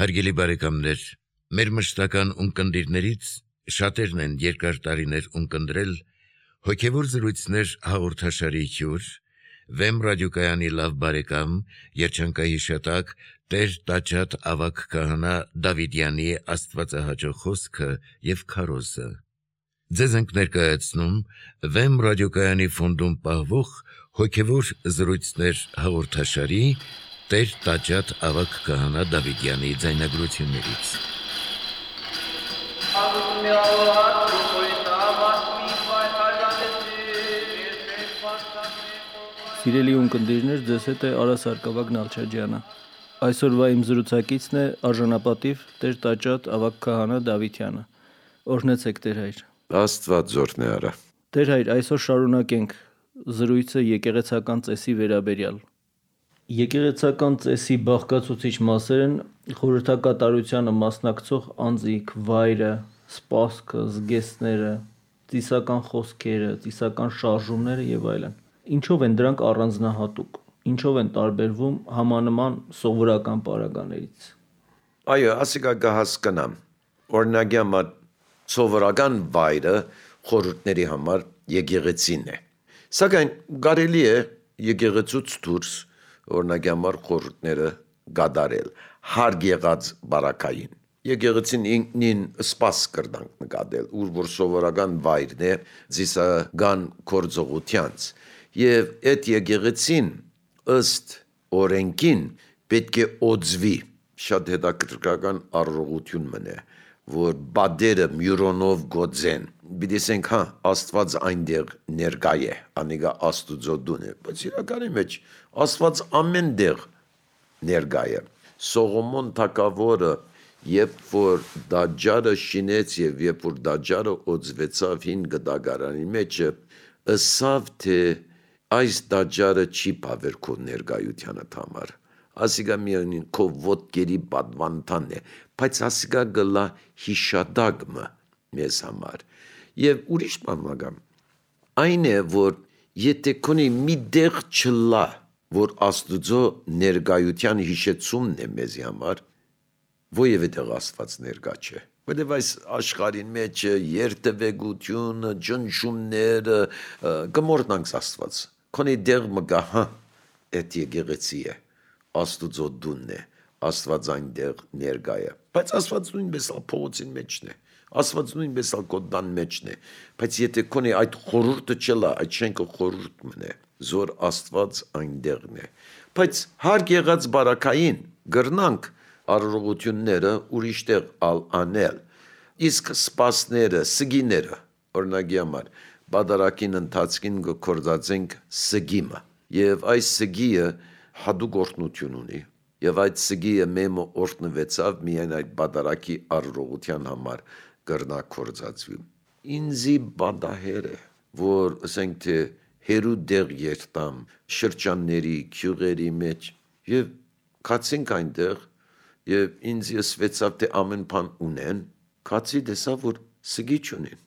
Հարգելի բարեկամներ, մեր մշտական ունկնդիրներից շատերն են երկար տարիներ ունկնդրել հոգևոր զրույցներ հաղորդաշարի հյուր, Վեմ ռադիոկայանի լավ բարեկամ, երջանկահիշատակ Տեր Տաճատ ավագ քահանա Դավիդյանի աստվածահաճո խոսքը եւ քարոզը։ Ձեզ ենք ներկայացնում Վեմ ռադիոկայանի ֆոնդում պահվող հոգևոր զրույցներ հաղորդաշարի Տեր Տաճատ ավագ քահանա Դավիդյանի ձայնագրություններից։ Սիրելի ունկնդիրներ, ձեզ հետ է Արա Սարգսակյան Նալչաջյանը։ Այսօրվա իմ զրուցակիցն է արժանապատիվ Տեր Տաճատ ավագ քահանա Դավիթյանը։ Օրհնեցեք Տեր հայր։ Աստված զորն է արա։ Տեր հայր, այսօր շարունակենք զրույցը եկեղեցական ծեսի վերաբերյալ։ Եկեղեցական ծեսի բաղկացուցիչ մասեր են խորհրդակատարությանը մասնակցող անձիկ, վայրը, սպասքը, զգեստները, ծիսական խոսքերը, ծիսական շարժումները եւ այլն։ Ինչով են դրանք առանձնահատուկ, ինչով են տարբերվում համանման սովորական պարագաներից։ Այո, ասիկա կհասկանամ։ Օրինակի համար սովորական վայրը խորհուրդների համար եկեղեցին է։ Սակայն կարելի է եկեղեցուց դուրս օրինակի համար խորհուրդները գադարել հարկ եղած բարակային։ Եկեղեցին ինքնին սպաս կրնանք նկատել, ուր որ սովորական վայրն է ծիսական գործողությանց։ Եվ այդ եկեղեցին ըստ օրենքին պետք է օձվի, շատ հետաքրքրական առողություն մնե, որ բադերը մյուրոնով գոձեն, բիդեսենք աստված այնտեղ ներկա է, անիգա աստուծո դուն է, բայց իրականի մեջ աստված ամեն դեղ ներկա է։ Սողոմոն թագավորը, երբ որ դաջարը շինեց եւ երբ որ դաջարը օձվեցավ հին գդագարանի մեջը, ըսավ թե այս դաջարը չի բավեր քո ներկայությանը համար։ Ասիկա միանին քո ոտքերի պատվանդան է, բայց ասիկա գլա հիշադակը մեզ համար։ Եվ ուրիշ բան այն է, որ եթե քոնի մի դեղ չլա, որ աստուծո ներկայության հիշեցումն է մեզի համար, ովևէ տեղ աստված ներկա չէ։ Որտեւ այս աշխարհին մեջ երթևեկությունը, ջնջումները կմորտնանք աստված։ Քոնի դեղ մգա, այդ եկեղեցի է, աստուծո դունն է, աստված այնտեղ ներկա է։ Բայց աստված նույնպես փողոցին մեջն է, աստված նույնպես կոդան մեջն է, բայց եթե քոնի այդ խորհուրդը չլա, այդ շենքը խորհուրդ մնե, զոր աստված այնտեղն է։ Բայց հարկ եղած բարակային գրնանք առողությունները ուրիշտեղ անել, իսկ սպասները, սգիները, օրինակի համար, բادرակին ընթացքին գործածենք սգիմը, եւ այս սգիը հadouk օրտնություն ունի, եւ այդ սգիը մեմը օրտնվեցավ միայն այդ բادرակի առողության համար գրնա գործածվի։ Ինձի բադահեր է, որ ասենք թե հերու դեղ երտամ շրջանների, քյուղերի մեջ եւ կացինք այնտեղ եւ ինձ եսվեցավ թե ամեն բան ունեն, կացի տեսա որ սգի չունեն։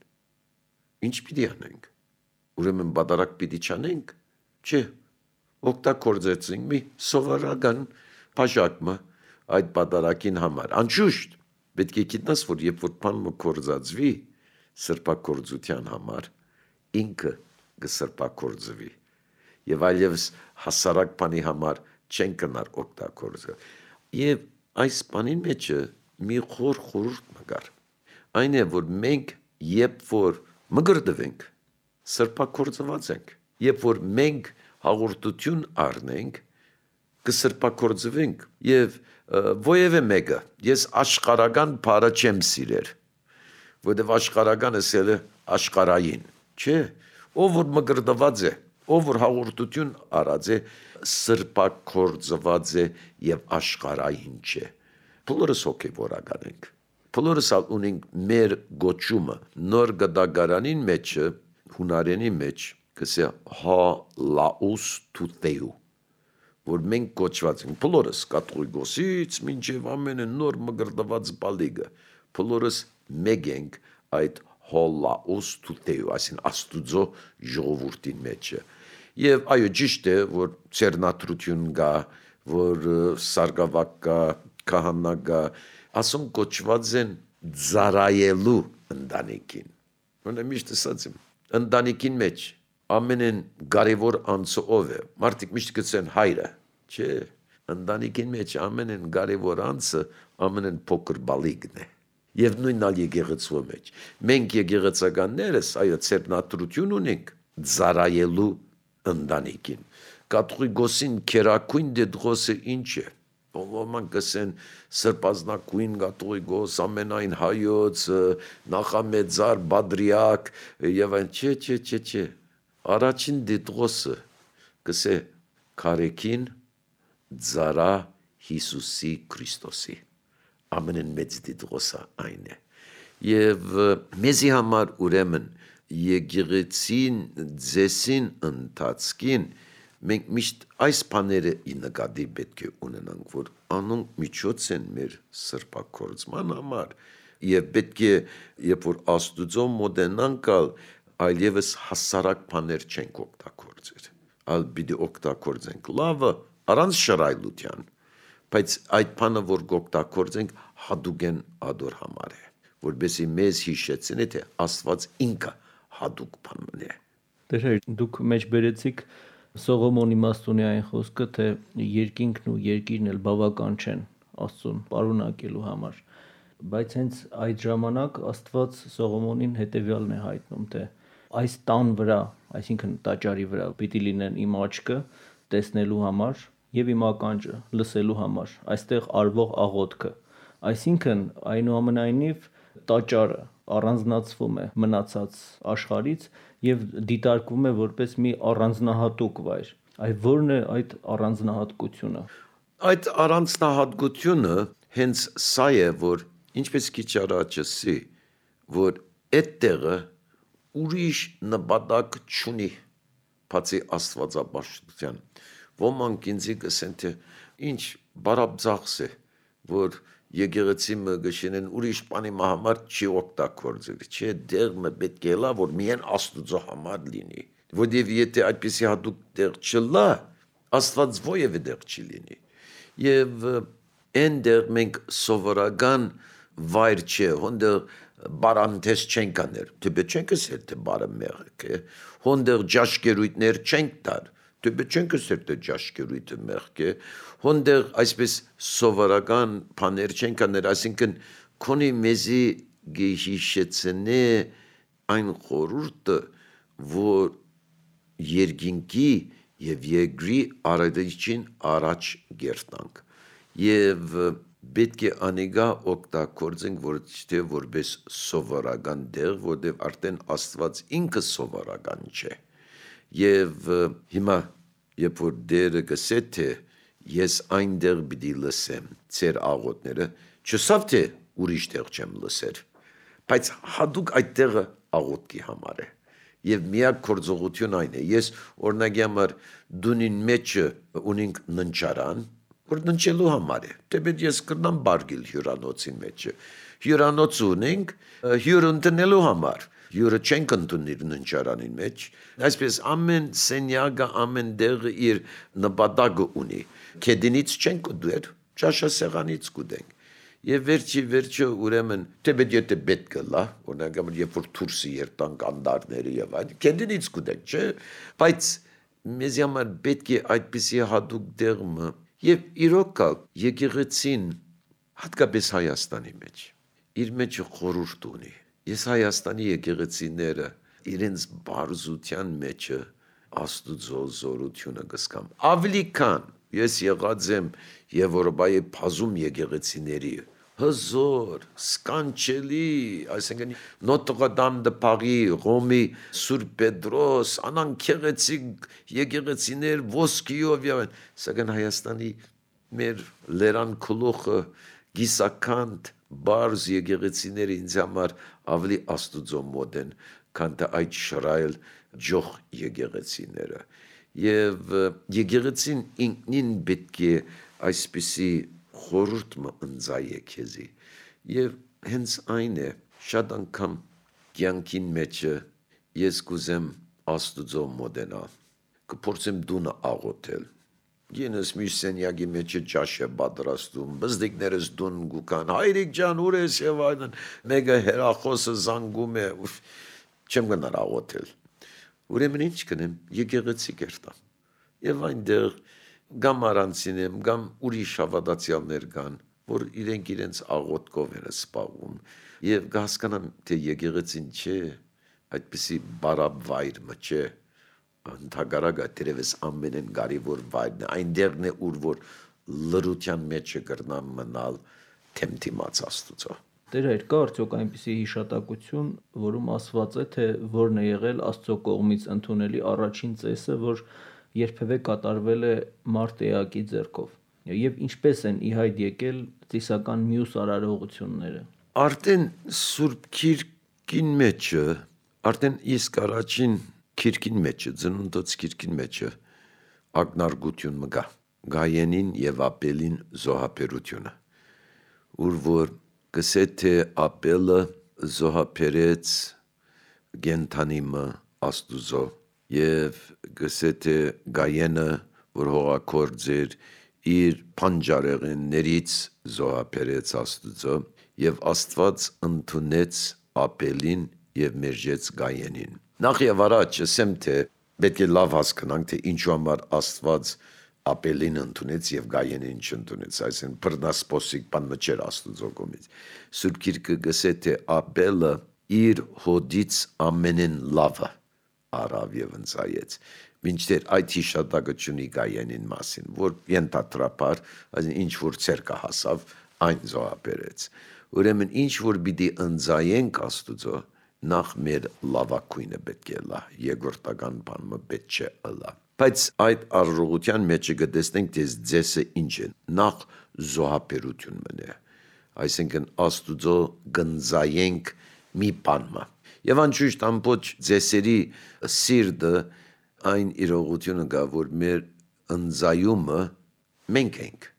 Ինչ պիտի անենք։ Ուրեմն բادرակ պիտի չանենք։ Չէ, օգտագործեցինք մի սովորական բաժակը այդ բادرակին համար։ Անշուշտ պետք է գիտնաս, որ երբ որ բանը կորզածվի սրբակորձության համար, ինքը կսրբակորձվի եւ այլևս հասարակ բանի համար չեն կնար օգտագործել։ Եվ այս բանի մեջը մի խորհուրդ մգար։ Այն է, որ մենք երբ որ մգրդվենք, սրբակորձված ենք, երբ որ մենք հաղորդություն առնենք, կսրբակորձվենք եւ ովևէ մեկը ես աշխարհական բառը չեմ սիրել, որովհետեւ աշխարհականը սելը աշխարհային, չէ, ով որ մգրդված է, ով որ հաղորդություն արած է, սրբակորձված է եւ աշխարհային չէ։ Բոլորս հոգեվորական ենք։ Բոլորս ունենք մեր գոչումը նոր գդագարանին մեջ հունարենի մեջ կսե հա լաուս թութեու, որ մենք կոչված ենք, բոլորս կաթողիկոսից մինչև ամենը նոր մգրդված բալիգը, բոլորս մեկ ենք այդ հոլաուս թութեու, այսին աստուծո ժողովուրդին մեջը։ Եվ այո, ճիշտ է, որ ծերնատրություն կա, որ սարգավակ կա, քահանա ասում կոչված են ծառայելու ընտանիքին։ Ոնց միշտ ասած եմ, ընտանիքին մեջ ամենեն կարևոր անձը ով է։ Մարդիկ միշտ գցեն հայրը, չէ։ Ընտանիքին մեջ ամենեն կարևոր անձը ամենեն փոքր բալիկն է։ Եվ նույնն ալ եկեղեցու մեջ։ Մենք եկեղեցականներս այո ծերնատրություն ունենք ծառայելու ընտանիքին։ Կաթողիկոսին քերակույն դեդրոսը ինչ է։ Ոմանք կսեն սրբազնակույն կաթողիկոս, ամենայն հայոց, նախամեծար, բադրիակ եւ այն չէ։ Առաջին դեդրոսը կսե քարեկին ծառա Հիսուսի Քրիստոսի ամենն մեծ դեդրոսը այն է եւ մեզի համար ուրեմն եկեղեցին ձեսին ընթացքին մենք միշտ այս բաները նկատի պետք է ունենանք, որ անոնք միջոց են մեր սրբակորձման համար եւ պետք է երբ որ Աստուծո մոտենանքալ այլևս հասարակ բաներ չենք օգտագործել, այլ պիտի օգտագործենք լավը առանց շռայլության, բայց այդ բանը որ օգտագործենք հատուկեն ադոր համար է, որովհետեւ մեզ հիշեցնի թե Աստված ինքը հատուկ բան է։ Դեր դուք մեջ բերեցիք Սողոմոն իմաստունի այն խոսքը, թե երկինքն ու երկիրն էլ բավական չեն Աստծուն պարունակելու համար, բայց հենց այդ ժամանակ Աստված Սողոմոնին հետևյալն է հայտնում, թե այս տան վրա, այսինքն տաճարի վրա պիտի լինեն իմ աչքը տեսնելու համար եւ իմ ականջը լսելու համար, այստեղ արվող աղոթքը, այսինքն այնուամենայնիվ տաճարը առանձնացվում է մնացած աշխարհից եւ դիտարկվում է որպես մի առանձնահատուկ վայր։ Այդ ո՞րն է այդ առանձնահատկությունը։ Այդ առանձնահատկությունը հենց սա է, որ ինչպես քիչ առաջ ասի, որ այդտեղը ուրիշ նպատակ չունի, բացի աստվածապաշտության։ Ոմանք ինձ կսեն, թե ինչ բարաբձախս է, որ եկեղեցի մը գշենեն ուրիշ բանի համար չի օգտագործել, չէ, դեղը պետք է լա, որ միայն Աստուծո համար լինի, որովհետև եթե այդպիսի հատուկ դեղ չլա, Աստված ովևէ դեղ չի լինի, եւ այնտեղ մենք սովորական վայր չէ, հոնդեղ բարանտես չենք աներ, դեպի չենք ասել, թե բարը մեղք է, հոնդեղ ջաշկերույթներ չենք տար, դեպի չենք ասել, թե ջաշկերույթը մեղք է, հոնդեղ այսպես սովորական բաներ չենք աներ, այսինքն քոնի մեզի գեհիշեցնե այն խորուրդը, որ երկինքի եւ երկրի արադիչին առաջ գերտանք եւ պետք է անիգա օգտագործենք որտե որպես սովորական դեր, որտեղ արդեն Աստված ինքը սովորական չէ եւ հիմա երբ որ դերը գսե թե ես այնտեղ պիտի լսեմ ծեր աղոթները, չսավ թե ուրիշ տեղ չեմ լսեր, բայց հատուկ այդ տեղը աղոթքի համար է եւ միակ գործողություն այն է, ես օրինակի համար դունին մեջը ունենք ննչարան, որ ննչելու համար է, դեպի ես կրնամ բարգել հյուրանոցի մեջը, հյուրանոց ունենք հյուր ընտնելու համար, հյուրը չենք ընդունիր ննչարանին մեջ, այսպես ամեն սենյակը, ամեն տեղը իր նպատակը ունի, կեդինից չենք ուդեր, ճաշասեղանից կուդենք, եւ վերջը ուրեմն դեպի եթե պետք է լա, օրինակի երբ որ դուրսի երտանք անդարները եւ այդ, կեդինից կուդենք, չէ, բայց մեզ համար պետք է այդպիսի հատուկ դեղը եւ իրոք եկեղեցին հատկապես Հայաստանի մեջ իր մեջ խորհուրդ ունի։ Ես Հայաստանի եկեղեցիները իրենց բարձության մեջը Աստուծո զորությունը կսկամ։ Ավելի քան ես եղած եմ Եվրոպայի բազում եկեղեցիների հզոր, սկանչելի, այսինքն Նոտրը Դամ դե Փարի, Ռոմի Սուրբ Պետրոս, անանկեղեցիկ եկեղեցիներ ոսկիով եւ սակայն Հայաստանի մեր լերան քլոխը գիսականդ բարձ եկեղեցիները ինձ համար ավելի Աստուծո մոտ են, քան թե այդ շռայլ ջոխ եկեղեցիները։ Եվ եկեղեցին ինքնին պետք է այսպիսի խորհուրդ ընձայե քեզի։ Եվ հենց այն է, շատ անգամ կյանքին մեջը ես կուզեմ Աստուծո մոտենալ, կփորձեմ դունը աղոթել, Գինս մյուսենյակի մեջ ճաշ է պատրաստում, բզդիկներս դուն գուկան, հայրիկ ջան, ուր ես եւ այլն, մեկը հերախոսը զանգում է, չեմ գնար աղոթել։ Ուրեմն ինչ կնեմ, եկեղեցի կերտամ։ Եվ այնտեղ գամ առանցին եմ, գամ ուրիշ հավատացյալներ կան, որ իրենց աղոթքով են սպառում, եւ կհասկանամ, թե եկեղեցին չէ, այդպիսի բարապ վայր չէ, ընդհակառակը դերևս ամենեն կարևոր վայրն է, այնտեղն է, ուր որ լրության մեջը կրնամ մնալ թեմթիմաց Աստծո։ Տեր հայր, կա արդյոք այնպիսի հիշատակություն, որում ասված է, թե որն է եղել Աստծո կողմից ընդունելի առաջին ծեսը, որ երբևէ կատարվել է մարդ էակի ձեռքով, եւ ինչպես են ի հայտ եկել ծիսական մյուս արարողությունները։ Արդեն Սուրբ Քիրքին մեջը, արդեն իսկ առաջին Քիրքին մեջը, ծնունդոց Քիրքին մեջը ակնարկություն մգա Գայենին եւ Ապելին զոհաբերությունը, ուր որ գսե թե Ապելը զոհաբերեց գենթանիմը Աստուծո եւ գսե թե Գայենը, որ հողակորձ էր, իր փանջարեղեններից զոհաբերեց Աստուծո եւ Աստված ընդունեց Ապելին եւ մերժեց Գայենին։ Նախ եւ առաջ ասեմ, թե պետք է լավ հասկանանք, թե ինչու համար Աստված Ապելին ընդունեց եւ Գայենին չընդունեց, այսինքն բռնասպոսիկ բան մջեր Աստուծո կողմից։ Սուրբ Գիրքը գսե թե Ապելը իր հոդից ամենեն լավը արավ եւ ընծայեց, մինչդեռ այդ հիշատակությունի Գայենին մասին, որ ենթադրաբար, այսինքն ինչ որ ցերկա հասավ, այն զոհաբերեց։ Ուրեմն ինչ որ պիտի ընծայենք Աստուծո, նախ մեր լավակույնը պետք է լա, երկրորդական բանը պետք չէ լա։ Բայց այդ արարողության մեջ կտեսնենք, թե ձեսը ինչ է, նախ զոհաբերություն մնե, այսինքն Աստուծո գնձայենք մի բանը։ Եվ անշուշտ ամբողջ ձեսերի սիրտը այն իրողությունը կա, որ մեր ընձայումը մենք ենք,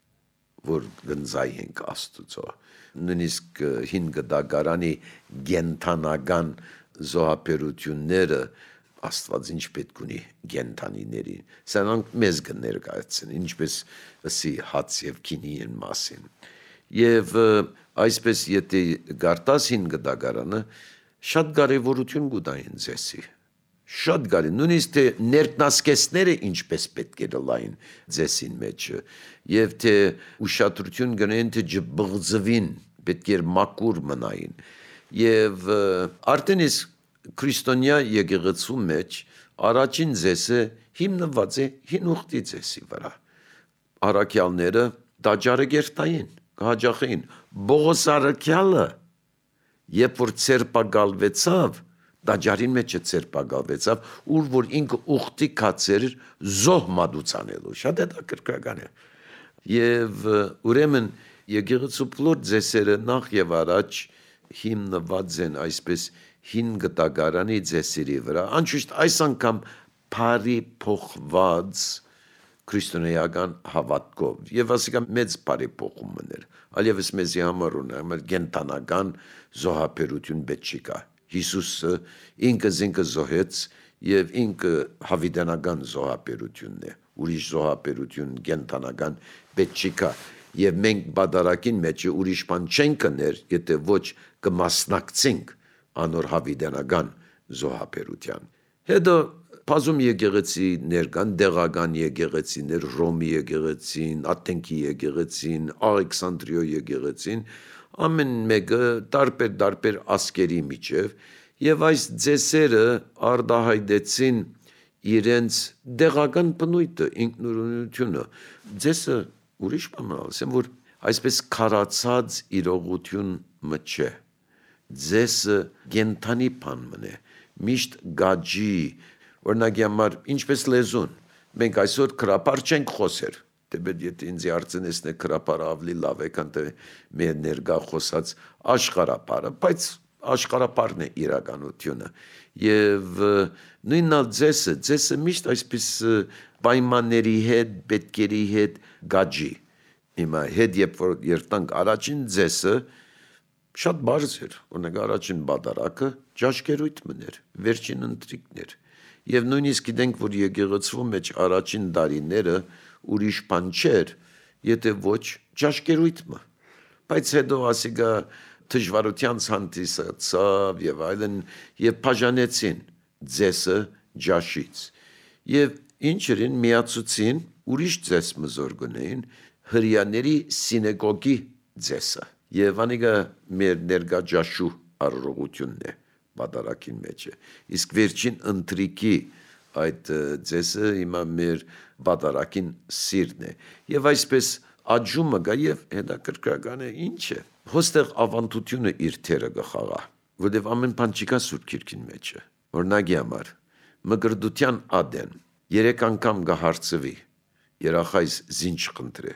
որ գնձայենք Աստուծո։ Նույնիսկ հին գդագարանի գենթանական զոհաբերությունները Աստված ինչ պետք ունի գենթանիներին, սրանք մեզ կներկայացնեն, ինչպես ասի հաց եւ քինիին մասին։ Եվ այսպես եթե գարտաս հին գդագարանը շատ կարևորություն կուտային ձեսի, շատ կարի, նույնիսկ թե ներկնասկեսները ինչպես պետք է լային ձեսին մեջը, եւ թե ուշադրություն գնեն, թե ջբղձվին, պետք է մակուր մնային, եւ արդեն իսկ քրիստոնյա եկեղեցու մեջ առաջին ձեսը հիմնված է հին ուխտի ձեսի վրա, առաքյալները դաջարեգերտային, կհաջախեին, Բողոս առաքյալը, երբ որ ցերպակալվեցավ, դաջարին մեջը ցերպակալվեցավ, ուր որ ինքը ուխտի կացեր զոհ մատուցանելու, շատ հետաքրքրական է։ Եվ ուրեմն եկեղեցու բոլոր ձեսերը նախ եւ առաջ հիմնված են այսպես հին գտագարանի ձեսերի վրա, անշուշտ այս անգամ բարի փոխված քրիստոնեական հավատքով, եւ ասիկա մեծ բարի փոխումն էր, այլևս մեզի համար ունեմ գենտանական զոհաբերություն պետք չկա։ Հիսուսը ինքը զինքը զոհեց եւ ինքը հավիտենական զոհաբերությունն է, ուրիշ զոհաբերություն գենտանական պետք չկա, եւ մենք բادرակին մեջ ուրիշ բան չենք կներ, եթե ոչ կմասնակցենք անոր հավիտենական զոհաբերության։ Հետո բազում եկեղեցիներ կան, դեղական եկեղեցիներ, Ռոմի եկեղեցին, Աթենքի եկեղեցին, Ալեքսանդրիո եկեղեցին, ամեն մեկը տարբեր ասկերի միջև, եւ այս ձեսերը արդահայտեցին իրենց դեղական բնույթը, ինքնուրույնությունը։ Ձեսը ուրիշ բան ասեմ, որ այսպես քարացած իրողություն չէ։ Ձեսը գենթանի բան մնե, միշտ գաջի, օրինակի համար ինչպես լեզուն, մենք այսօր քրապար չենք խոսեր, թեպետ եթե ինձ արցնեսն է քրապարը ավելի լավ է, քան թե մեր ներկա խոսած աշխարհապարը, բայց աշխարհապարն է իրականությունը, եւ նույնալ ձեսը միշտ այսպես պայմանների հետ, պետքերի հետ գաջի։ Հիմա հետ երբ որ երտանք առաջին ձեսը շատ բարձ էր, օրինակ առաջին բادرակը ճաշկերույթ մներ, վերջին ընթրիկներ, եւ նույնիսկ գիտենք, որ եկեղեցու մեջ առաջին դարիները ուրիշ բան չէր, եթե ոչ ճաշկերույթը։ Բայց հետո ասիկա դժվարության հանդիսացավ եւ այլն եւ բաժանեցին ձեսը ճաշից։ Եվ ինչերին միացուցին ուրիշ ձես մզորգունեին հրյաների սինեգոգի ձեսը։ Եվ անիկա մեր ներկա ճաշու առողությունն է բادرակին մեջը։ Իսկ վերջին ընտրիկի այդ ձեսը հիմա մեր բادرակին սիրն է։ Եվ այսպես աջումը գա եւ հետաքրքրական է ինչ է։ Հոստեղ ավանդությունը իր թերը գխաղա, որտեւ ամեն բան չկա Սուրբ Քիրքին մեջը։ Օրինակի համար մգրդության ադեն 3 անգամ գահարցվի երախայս զինչ խնդրե։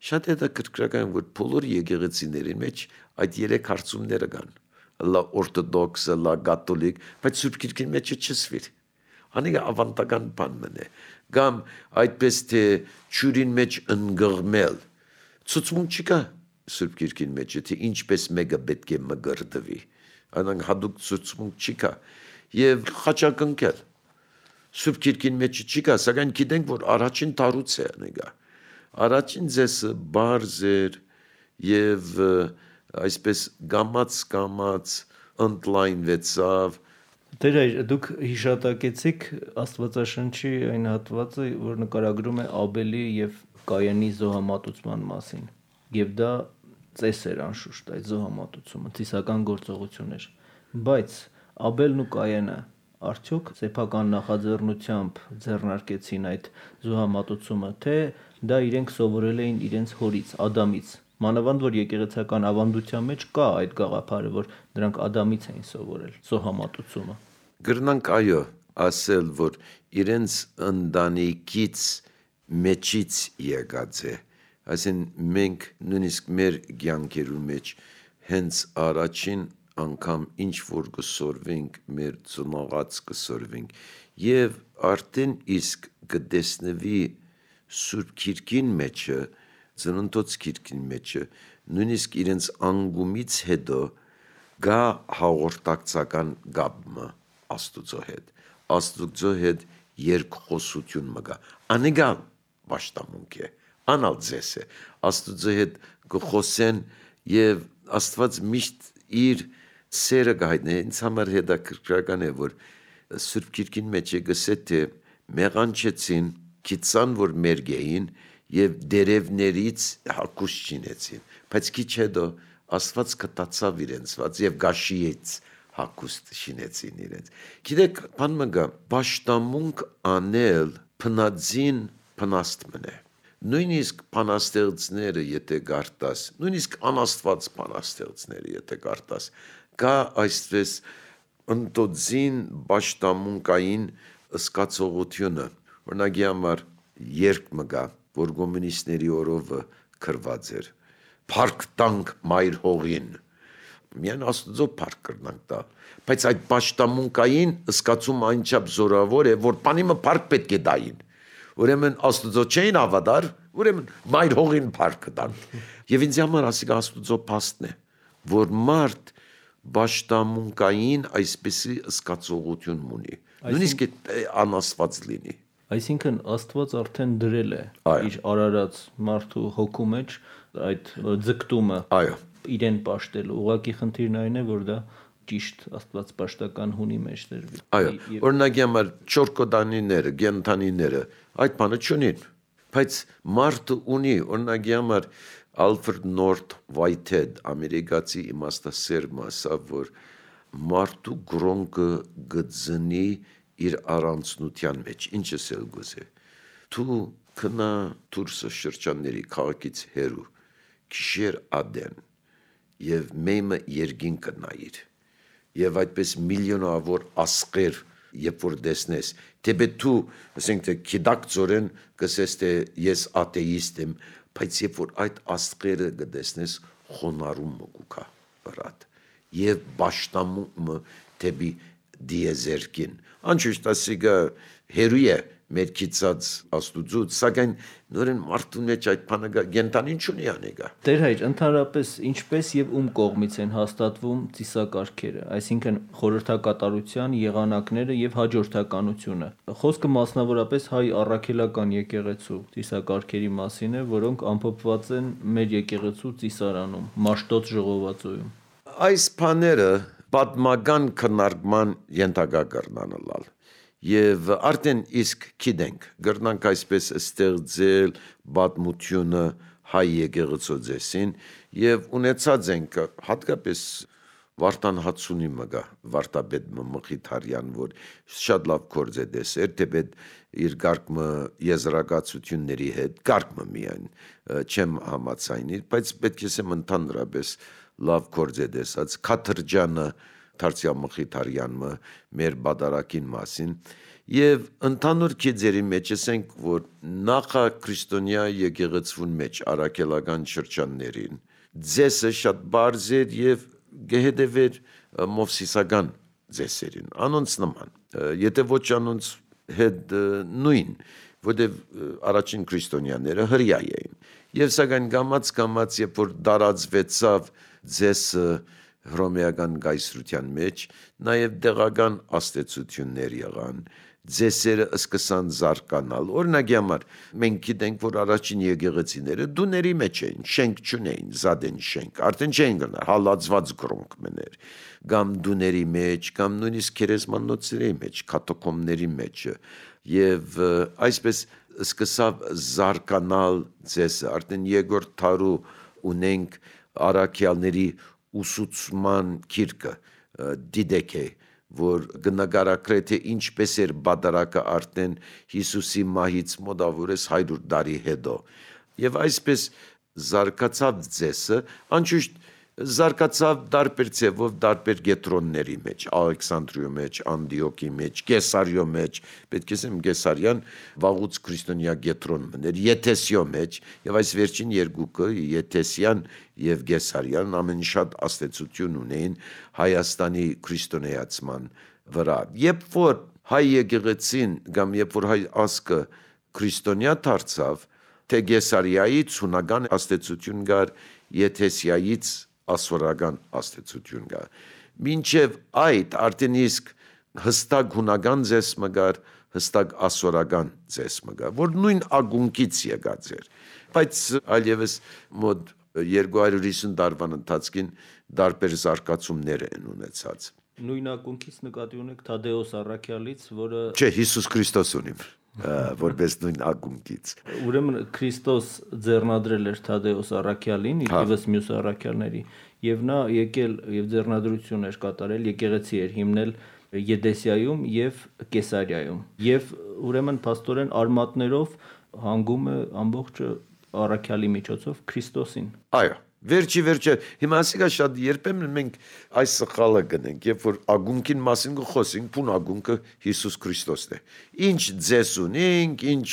Շատ հետաքրքրական որ բոլոր եկեղեցիների մեջ այդ 3 հարցումները կան։ Լա օրթոդոքս, լա կաթոլիկ, բայց Սուրբ Քիրքին մեջը չսվիր։ Անիկա ավանդական բան մնե։ Կամ այդպես թե ճյուրին մեջ ընկղմել։ Ցուցմունք չկա Սուրբ Քիրքին մեջ, թե ինչպես մեկը պետք է մգրդվի։ Անանք հadoop ցուցմունք չկա։ Եվ խաչակնկել։ Սուրբ Քիրքին մեջ չկա, սակայն գիտենք, որ առաջին տարուց է անիկա։ Առաջին ձեսը բարձ էր եւ այսպես գամած ընդլայնվեցավ։ Տեր դուք հիշատակեցիք Աստվածաշնչի այն հատվածը, որ նկարագրում է Աբելի եւ Կայենի զոհամատուցման մասին։ Եվ դա ծես էր անշուշտ այդ զոհամատուցումը, ծիսական գործողություն էր։ Բայց Աբելն ու Կայենը արդյոք սեփական նախաձեռնությամբ ձեռնարկեցին այդ զոհամատուցումը, թե դա իրենք սովորել էին իրենց հորից, Ադամից։ Մանավանդ որ եկեղեցական ավանդության մեջ կա այդ գաղափարը, որ նրանք Ադամից էին սովորել զոհամատուցումը։ Գրնանք այո ասել, որ իրենց ընտանիքից մեջից եկած է։ Այսին մենք նույնիսկ մեր կյանքերու մեջ հենց առաջին անգամ ինչ որ կսորվենք, մեր ծնողած կսորվենք եւ արդեն իսկ կտեսնվի Սուրբ Քիրքին մեջը, ծննդոց Քիրքին մեջը, նույնիսկ իրենց անգումից հետո գա հաղորդակցական գաբմը Աստուծո հետ երկխոսություն մգա։ Անիկա պաշտամունք է, անալ ձես է, Աստուծո հետ կխոսեն եւ Աստված միշտ իր սերը գայտնի, ինձ համար հետաքրքրական է, որ Սուրբ Քիրքին մեջ է գսե թե մեղանչեցին, քիծան որ մերգեին եւ դերևներից հակուս չինեցին, բայց քիչ հետո Աստված կտացավ իրենցված եւ գաշիեց հակուստ շինեցին իրենց։ Գիտեք, բան մգա, պաշտամունք անել փնածին փնաստ մնե։ Նույնիսկ փանաստեղծները եթե գարտաս, նույնիսկ անաստված փանաստեղծները եթե գարտաս, կա այսպես ընտոձին պաշտամունքային սկացողությունը։ Օրինակի համար երկ մգա, որ կոմունիստների օրովը քրված էր։ Փառք տանք մայր հողին։ Միայն Աստծո փառք կրնանք տալ, բայց այդ պաշտամունքային սկացում այնչափ զորավոր է, որ բանիմը փառք պետք է տային։ Ուրեմն Աստծո չէին ավադար, ուրեմն մայր հողին փառք տան։ Եվ ինձ համար ասիկա Աստծո փաստն է, որ մարդ պաշտամունքային այսպեսի սկացողություն ունի։ Նույնիսկ անաստված լինի։ Այսինքն Աստված արդեն դրել է իր արարած մարդու հոգու մեջ այդ ձգտումը իրեն պաշտելու։ Ուղղակի խնդիրն այն է, որ դա ճիշտ աստվածպաշտական հունի մեջ դրվի։ Այո, օրինակի համար չորկոդանիները, գենթանիները այդ բանը չունին, բայց մարդը ունի, օրինակի համար Ալֆրեդ Նորթ Վայթհեդ, ամերիկացի իմաստասերն ասավ, որ մարդու գրոնկը գծնի իր առանցնության մեջ, ինչը սել գոզե։ Դու քնա դուրսը շրջանների քաղաքից հերու, քիշեր ադեն եւ մեմը երգին կնայիր։ Եվ այդպես միլիոնավոր ասկեր երբ որ դեսնես, թեպե դու, ասենք թե քիդակ ծորեն կսես թե ես աթեիստ եմ, բայց երբ որ այդ ասկերը կդեսնես, խոնարհում կուքա վրատ եւ պաշտամունքը թեպի դիեզերքին։ Անշուշտ ասիկա հերույ է մերքիցած աստուծուց, սակայն նորեն մարդու մեջ այդ բանը գենտանին չունի անեգա։ Տեր հայր, ընդհանրապես ինչպես եւ ում կողմից են հաստատվում ծիսակարգերը, այսինքն խորհրդակատարության եղանակները եւ հաջորդականությունը։ Խոսքը մասնավորապես հայ առաքելական եկեղեցու ծիսակարգերի մասին է, որոնք ամփոփված են մեր եկեղեցու ծիսարանում, Մաշտոց ժողովածոյում։ Այս բաները պատմական քննարկման ենթակա կրնանալալ եւ արդեն իսկ գիտենք գրնանք այսպես ստեղծել պատմությունը հայ եկեղեցու ձեսին եւ ունեցած ենք հատկապես Վարդան Հացունի մգա Վարդապետ Մխիթարյան, որ շատ լավ գործ է դեսեր, թեպետ իր գարկմը եզրակացությունների հետ գարկմը միայն չեմ համացայնիր, բայց պետք է ասեմ ընդհանրապես լավ գործ է դեսած Քաթրջյանը Թարսիա Մխիթարյանը մեր բادرակին մասին եւ ընդհանուր քիծերի մեջ ասենք որ նախա քրիստոնյա եկեղեցուն մեջ արաքելական շրջաններին ձեսը շատ բարձ էր եւ գեհդեվեր մովսիսական ձեսերին անոնց նման եթե ոչ անոնց հետ նույն որտեւ առաջին քրիստոնյաները հրյա էին եւ սակայն գամած երբ որ դարածվեցավ ձեսը հռոմեական գայսրության մեջ նաև դեղական աստեցություններ եղան ձեսերը սկսան զարգանալ օրինակի համար մենք գիտենք որ առաջին եկեղեցիները դուների մեջ էին շենք չունեին զադեն շենք արդեն չէին գնա հալածված գրոնք մներ կամ դուների մեջ կամ նույնիսկ քերեսմանոցների մեջ կաթոկոմների մեջ եւ այսպես սկսավ զարգանալ ձեսը արդեն երկրորդ դարու ունենք արաքյալների ուսուցման քիրկը դիդեկե որ գնագարակրե թե ինչպես էր բادرակը արդեն Հիսուսի մահից մոտավորես 100 տարի հետո եւ այսպես զարգացավ ձեսը անշուշտ զարգացավ դարբեր ձևով դարբեր գետրոնների մեջ Ալեքսանդրիո մեջ Անդիոկի մեջ Կեսարիո մեջ պետք է ասեմ Կեսարյան վաղուց քրիստոնյա գետրոն մներ Եթեսիո մեջ եւ այս վերջին երկուքը Եթեսյան եւ Կեսարյան ամեն շատ աստեցություն ունեին Հայաստանի քրիստոնեացման վրա երբ որ հայ եկեղեցին կամ երբ որ հայ ազգը քրիստոնյա դարձավ թե Կեսարիայից հունական աստեցություն գար Եթեսիայից ասորական աստեցություն կա մինչև այդ արդեն իսկ հստակ հունական ձես մգար հստակ ասորական ձես մգար որ նույն ագունքից եկած էր բայց այլևս մոտ 250 տարվան ընթացքին դարբեր զարգացումներ են ունեցած նույն ակունքից նկատի ունեք Թադեոս Առաքյալից որը չէ Հիսուս Քրիստոս ունիմ որպես նույն ակունքից ուրեմն Քրիստոս ձեռնադրել էր Թադեոս Առաքյալին իբրևս մյուս առաքյալների եւ նա եկել եւ ձեռնադրություն էր կատարել եկեղեցի էր հիմնել Եդեսիայում եւ Կեսարիայում եւ ուրեմն փաստորեն արմատներով հանգում է ամբողջ առաքյալի միջոցով Քրիստոսին այո Վերջի հիմա ասիկա շատ երբեմն մենք այս սխալը գնենք երբ որ ագունքին մասին խոսենք բուն ագունքը Հիսուս Քրիստոսն է ինչ ձես ունենք ինչ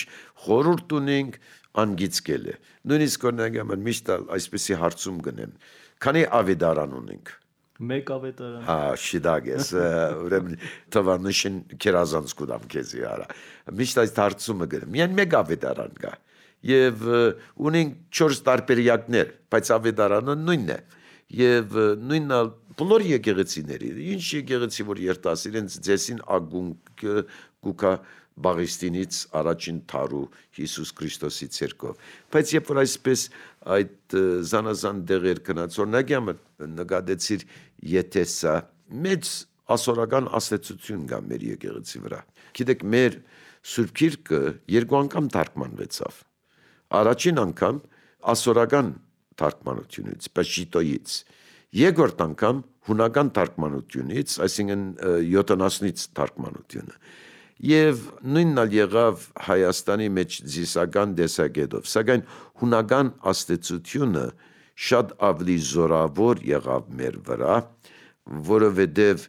խորհուրդ ունենք անգիցկել է նույնիսկ օրինակ միշտ այսպեսի հարցում գնեմ քանի ավետարան ունենք մեկ ավետարան հա շիդագես ուրեմն թվանշին քերազանց կուդամ քեզի արա միշտ այս հարցումը գնեմ միայն մեկ ավետարան կա Եվ ունենք 4 տարբերակներ, բայց ավետարանը նույնն է։ Եվ նույնն է բոլոր եկեղեցիների, ինչ եկեղեցի որ երտաս իրենց ձեսին ագունքը գուկա Բաղիստինից առաջին թարու Հիսուս Քրիստոսի ցերկով։ Բայց երբ որ այսպես այդ զանազան դեղեր կնած օրինակի համար նկատեցիր Եթեսա մեծ ասորական աստեցություն կա մեր եկեղեցի վրա։ Գիտեք մեր Սուրբ Գիրքը երկու անգամ թարգմանվեցավ։ Առաջին անգամ ասորական թարգմանությունից, Պեշիտոյից, երկրորդ անգամ հունական թարգմանությունից, այսինքն 70-ից թարգմանությունը։ Եվ նույնն էլ եղավ Հայաստանի մեջ զիսական դեսագետով, սակայն հունական աստեցությունը շատ ավելի զորավոր եղավ մեր վրա, որովհետև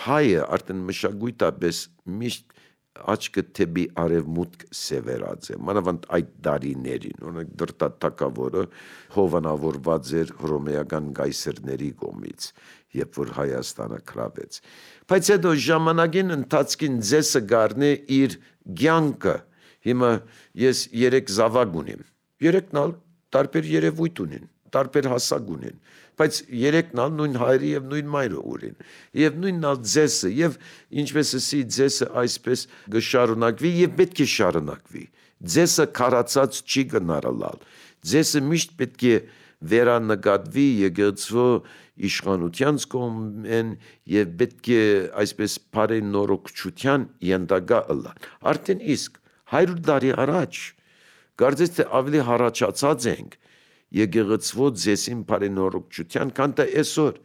հայը արդեն մշակույթապես միշտ աչքը թեպի արևմուտք սևերած է, մանավանդ այդ դարիներին, օրինակ դրտաթակավորը հովանավորված էր հռոմեական գայսերների կողմից, երբ որ Հայաստանը քրավեց։ Բայց հետո ժամանակին ընթացքին ձեսը գարնե իր կյանքը։ Հիմա ես 3 զավակ ունիմ, 3-ն ալ տարբեր երևույթ ունին, տարբեր հասակ ունին, բայց 3-ն ալ նույն հայրի եւ նույն մայրը ունին, եւ նույնն ալ ձեսը, եւ ինչպես ասի ձեսը այսպես գշարունակվի եւ պետք է շարունակվի։ Ձեսը քարացած չի գնարալալ, ձեսը միշտ պետք է վերանկատվի եկեղեցու իշխանության կողմեն եւ պետք է այսպես բարենորոգչության ենթակա ըլլան։ Արդեն իսկ 100 տարի առաջ կարծես թե ավելի հառաջացած ենք եկեղեցու ձեսին բարենորոգչության, քան թե այսօր,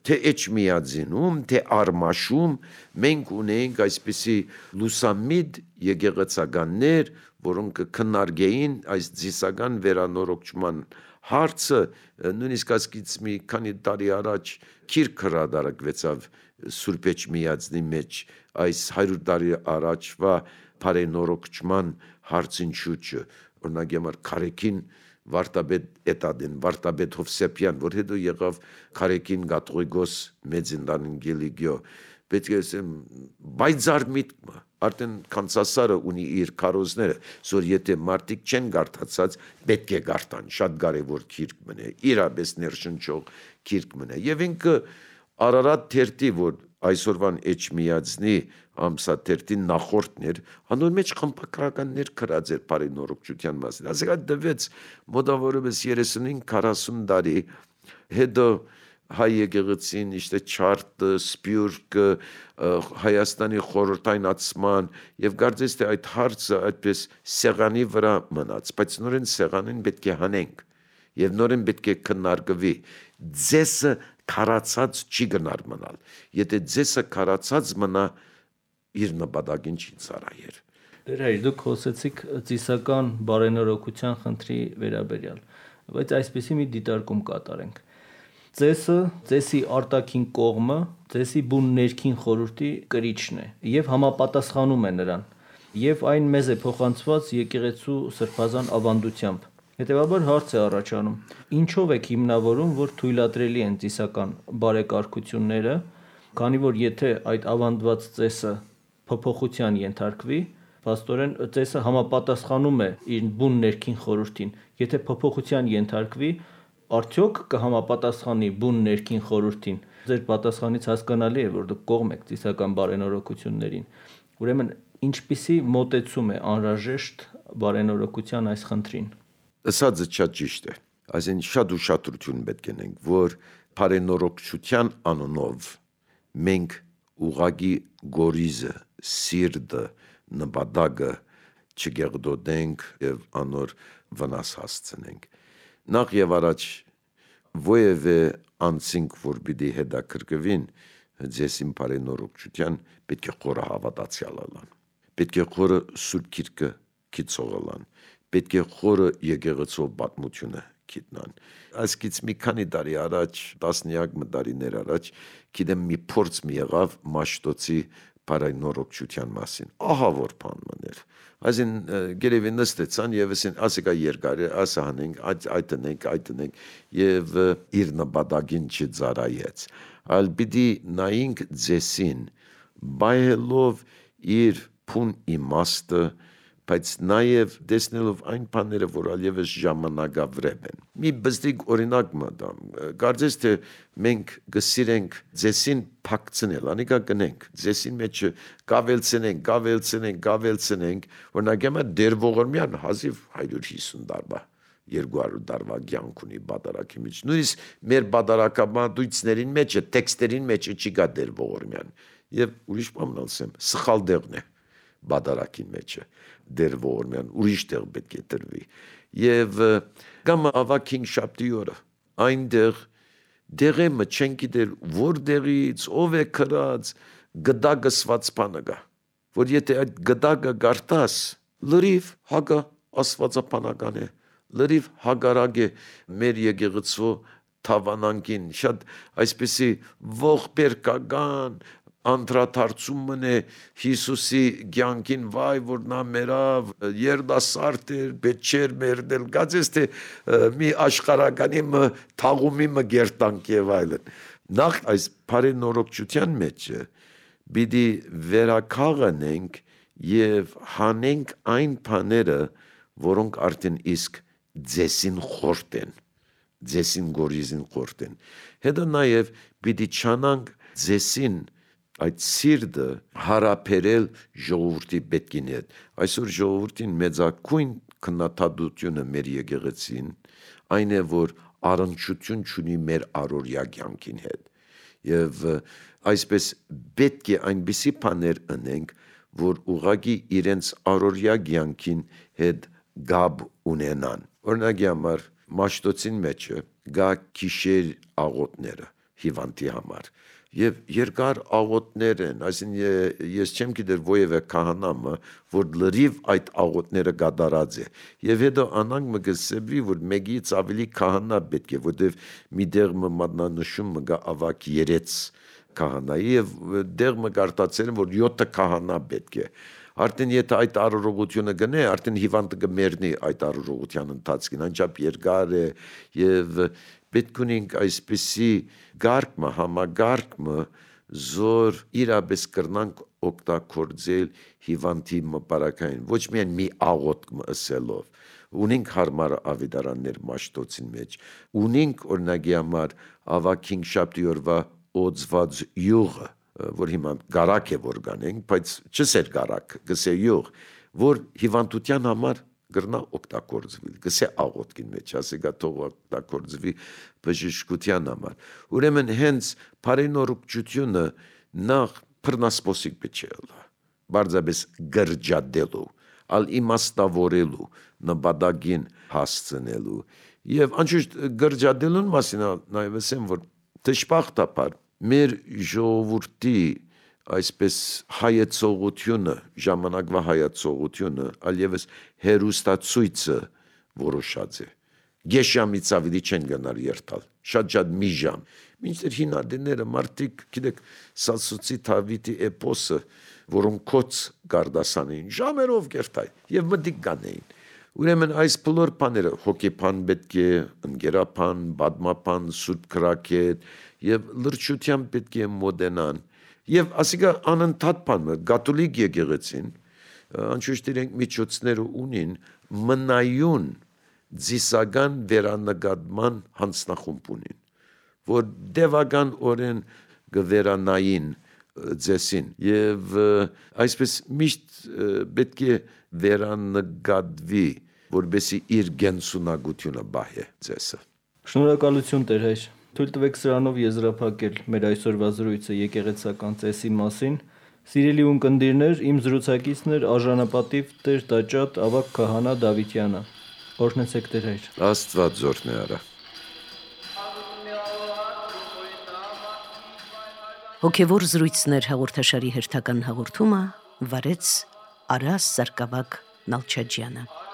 թե Էջմիածինում, թե Արմաշում մենք ունենք այսպիսի լուսամիտ եկեղեցականներ, որոնք քննարկեին այս ձիսական վերանորոգչման հարցը, նույնիսկ ասկից մի քանի տարի առաջ քիրք հրատարակվեցավ Սուրբ Էջմիածնի մեջ այս 100 տարի առաջվա բարենորոգչման հարցին շուրջը, օրինակ համար Քարեքին Վարդապետ Էտադեն, Վարդապետ Հովսեփյան, որ հետո եղավ Քարեքին Կաթողիկոս Մեծնդանին Գելիգիո, պետք է ասեմ, բայձար միտքը, արդեն Կանսասարը ունի իր քարոզները, որ եթե մարդիկ չեն գարտացած, պետք է գարտան, շատ կարևոր քիրք մնե, իրապես ներշնչող քիրք մնե, եւ ինքը Արարատ թերթի, որ այսօրվան Էջմիածնի ամսաթերթին նախորդն էր, անոր մեջ խմբագրականներ գրած էր բարենորոգչության մասին, ասիկա դվեց մոտավորապես 35-40 տարի, հետո հայ եկեղեցին իշտե չարտը, սպյուրքը, Հայաստանի խորհրդայնացման եւ կարծես թե այդ հարցը այդպես սեղանի վրա մնաց, բայց նորեն սեղանին պետք է հանենք եւ նորեն պետք է քննարկվի։ Ձեսը քարացած չի գնար մնալ, եթե ձեսը քարացած մնա իր նպատակին չի ծառայեր։ Դեր հայր, դուք խոսեցիք ծիսական բարենորոգության խնդրի վերաբերյալ, բայց այսպեսի մի դիտարկում կատարենք։ Ձեսը, ձեսի արտաքին կողմը, ձեսի բուն ներքին խորհրդի կրիչն է եւ համապատասխանում է նրան, եւ այն մեզ է փոխանցված եկեղեցու սրբազան ավանդությամբ։ Հետևաբար հարց է առաջանում. ինչով եք հիմնավորում, որ թույլատրելի են ծիսական բարեկարգությունները, քանի որ եթե այդ ավանդված ծեսը փոփոխության ենթարկվի, փաստորեն ծեսը համապատասխանում է իր բուն ներքին խորհրդին, եթե փոփոխության ենթարկվի, արդյոք կհամապատասխանի բուն ներքին խորհրդին։ Ձեր պատասխանից հասկանալի է, որ դուք կողմ եք ծիսական բարենորոգություններին։ Ուրեմն ինչպիսի մոտեցում է անհրաժեշտ բարենորոգության այս խնդրին։ Ասածը շատ ճիշտ է, այսինքն շատ ուշադրություն պետք ունենք, որ բարենորոգչության անունով մենք ուղագի գորիզը, սիրտը, նպատակը չգեղդոդենք եւ անոր վնաս հասցնենք։ Նախ եւ առաջ ովևէ անցինք, որ պիտի հետաքրքրվին ձեսին բարենորոգչության, պետք է խորը հավատացյալ ալան, պետք է խորը Սուրբ Գիրքը գիտողալան, պետք է խորը եկեղեցու պատմությունը գիտնան։ Այսքից մի քանի տարի առաջ, տասնյակ տարիներ առաջ, գիտեմ մի փորձ մի եղավ Մաշտոցի բարենորոգչության մասին։ Ահա որ բան մներ։ Այսին գերեւի նստեցան եւ ասիկա երկար է, ասա հանենք, այդ տնենք եւ իր նպատակին չծարայեց։ Այլ պիտի նայինք ձեսին, բայելով իր փուն իմաստը, բայց նաև տեսնելով այն բաները, որ ալևս ժամանակավրեպ են։ Մի բստիկ օրինակ մտամ, կարծես թե մենք գսիրենք ձեսին փակցնել, անիկա կնենք, ձեսին մեջ գավելցնենք, օրինակ հիմա դեր ողորմյան հազիվ 150 տարվա, 200 տարվա կյանք ունի բادرակի մեջ։ Նույնիսկ մեր բادرակաբանություններին մեջ, տեքստերին մեջ չի գա դեր ողորմյան։ Եվ ուրիշ բան ասեմ, սխալ դեղն է բادرակին մեջը դեր ողորմյան ուրիշ տեղ պետք է տրվի եւ կամ ավակին շաբթի օրը այնտեղ դեղը չեն գիտեր որտեղից ով է քրած գդագսված բանը գա որ եթե այդ գդագը գարտաս լրիվ հագա աստվածապանական է լրիվ հագարակ է մեր եկեղեցու թավանանքին շատ այսպեսի ողբերգական անդրադարձումն է Հիսուսի կյանքին, վայ որ նա մերավ երդասարդ էր, պետք չէր մերնել, գացես թե մի աշխարհականի թաղումի գերտանք եւ այլն։ Նախ այս բարենորոգչության մեջ պիտի վերականգնենք եւ հանենք այն բաները, որոնք արդեն իսկ ձեսին խորտ են, ձեսին գորիզին խորտ են։ Հետո նաեւ պիտի չանանք ձեսին այդ սիրտը հարաբերել ժողովրդի պետքին հետ։ Այսօր ժողովրդին մեծակույն քննադատությունը մեր եկեղեցին այն է, որ առնչություն չունի մեր առօրյա կյանքին հետ։ Եվ այսպես պետք է այնպիսի բաներ անենք, որ ուղղակի իրենց առօրյա կյանքին հետ գաբ ունենան։ Օրինակի համար Մաշտոցին մեջը գա գիշեր աղոթները հիվանդի համար եւ երկար աղոթներ են, այսինքն ես չեմ գիտեր ովևէ քահանա, որ լրիվ այդ աղոթները կատարած է եւ հետո անանք մգսեբի որ մեկից ավելի քահանա պետք է, որտեվ մի դեղ մատնանշում գա ավակ 3 քահանայի եւ դեղ մկարտացել որ 7 քահանա պետք է։ Արդեն եթե այդ առողջությունը գնե, արդեն հիվանդը կմեռնի այդ առողջության ընթացքին, անչափ երկար է եւ պետք ունենք այսպիսի գարկմը, համագարկմը, զոր իրապես կրնանք օգտագործել հիվանդի մպարակային, ոչ միայն մի աղոթք ասելով, ունենք հարմար ավետարաններ Մաշտոցին մեջ, ունենք օրինակի համար ավակ 5 շաբթի օրվա օծված յուղը, որ հիմա գարակ է որ գանենք, բայց չսեր գարակ, գսե յուղ, որ հիվանդության համար գրնա օգտագործվի, գսե աղոթքին մեջ, ասեգա թող օգտագործվի բժշկության համար։ Ուրեմն հենց բարենորոգչությունը նախ բռնասպոսիկ բիչելա, բարձրապես գրջադելու, ալ իմաստավորելու, նպատակին հասցնելու։ Եվ անշուշտ գրջադելուն մասին նաև ասեմ, որ դժբախտաբար մեր ժողովրդի այսպես հայեցողությունը, ժամանակվա հայեցողությունը, այլևս հերուստացույցը որոշած է։ Գեշամից ավելի չեն գնալ երթալ, շատ մի ժամ։ Մինչդեռ հինադիները մարդիկ, գիտեք, Սասուցի Դավիթի էպոսը, որոնք կոց գարդասանեին, ժամերով գերտային եւ մտիկ կանեին։ Ուրեմն այս բոլոր բաները հոգեբան պետք է, ընկերապան, բադմապան, սուրբ քրակետ եւ լրջությամբ պետք է մոդենան։ Եվ ասիկա անընդհատ բանը կաթոլիկ եկեղեցին անշուշտ իրենք միջոցները ունին մնայուն ձիսական վերանկատման հանձնախումբ ունին, որ դեվական օրեն կվերանային ձեսին եւ այսպես միշտ պետք է վերանկատվի, որբեսի իր գենսունակությունը բահե ձեսը։ Շնորհակալություն Տեր հայր։ Թույլ տվեք սրանով եզրափակել մեր այսօրվա զրույցը եկեղեցական ծեսի մասին։ Սիրելի ունկնդիրներ, իմ զրուցակիցն էր արժանապատիվ Տեր Տաճատ ավագ քահանա Դավիթյանը։ Օրհնեցեք Տեր հայր։ Աստված զորն է արա։ Հոգևոր զրույցներ հաղորդաշարի հերթական հաղորդումը վարեց Արաս Սարգսակ Նալչաջյանը։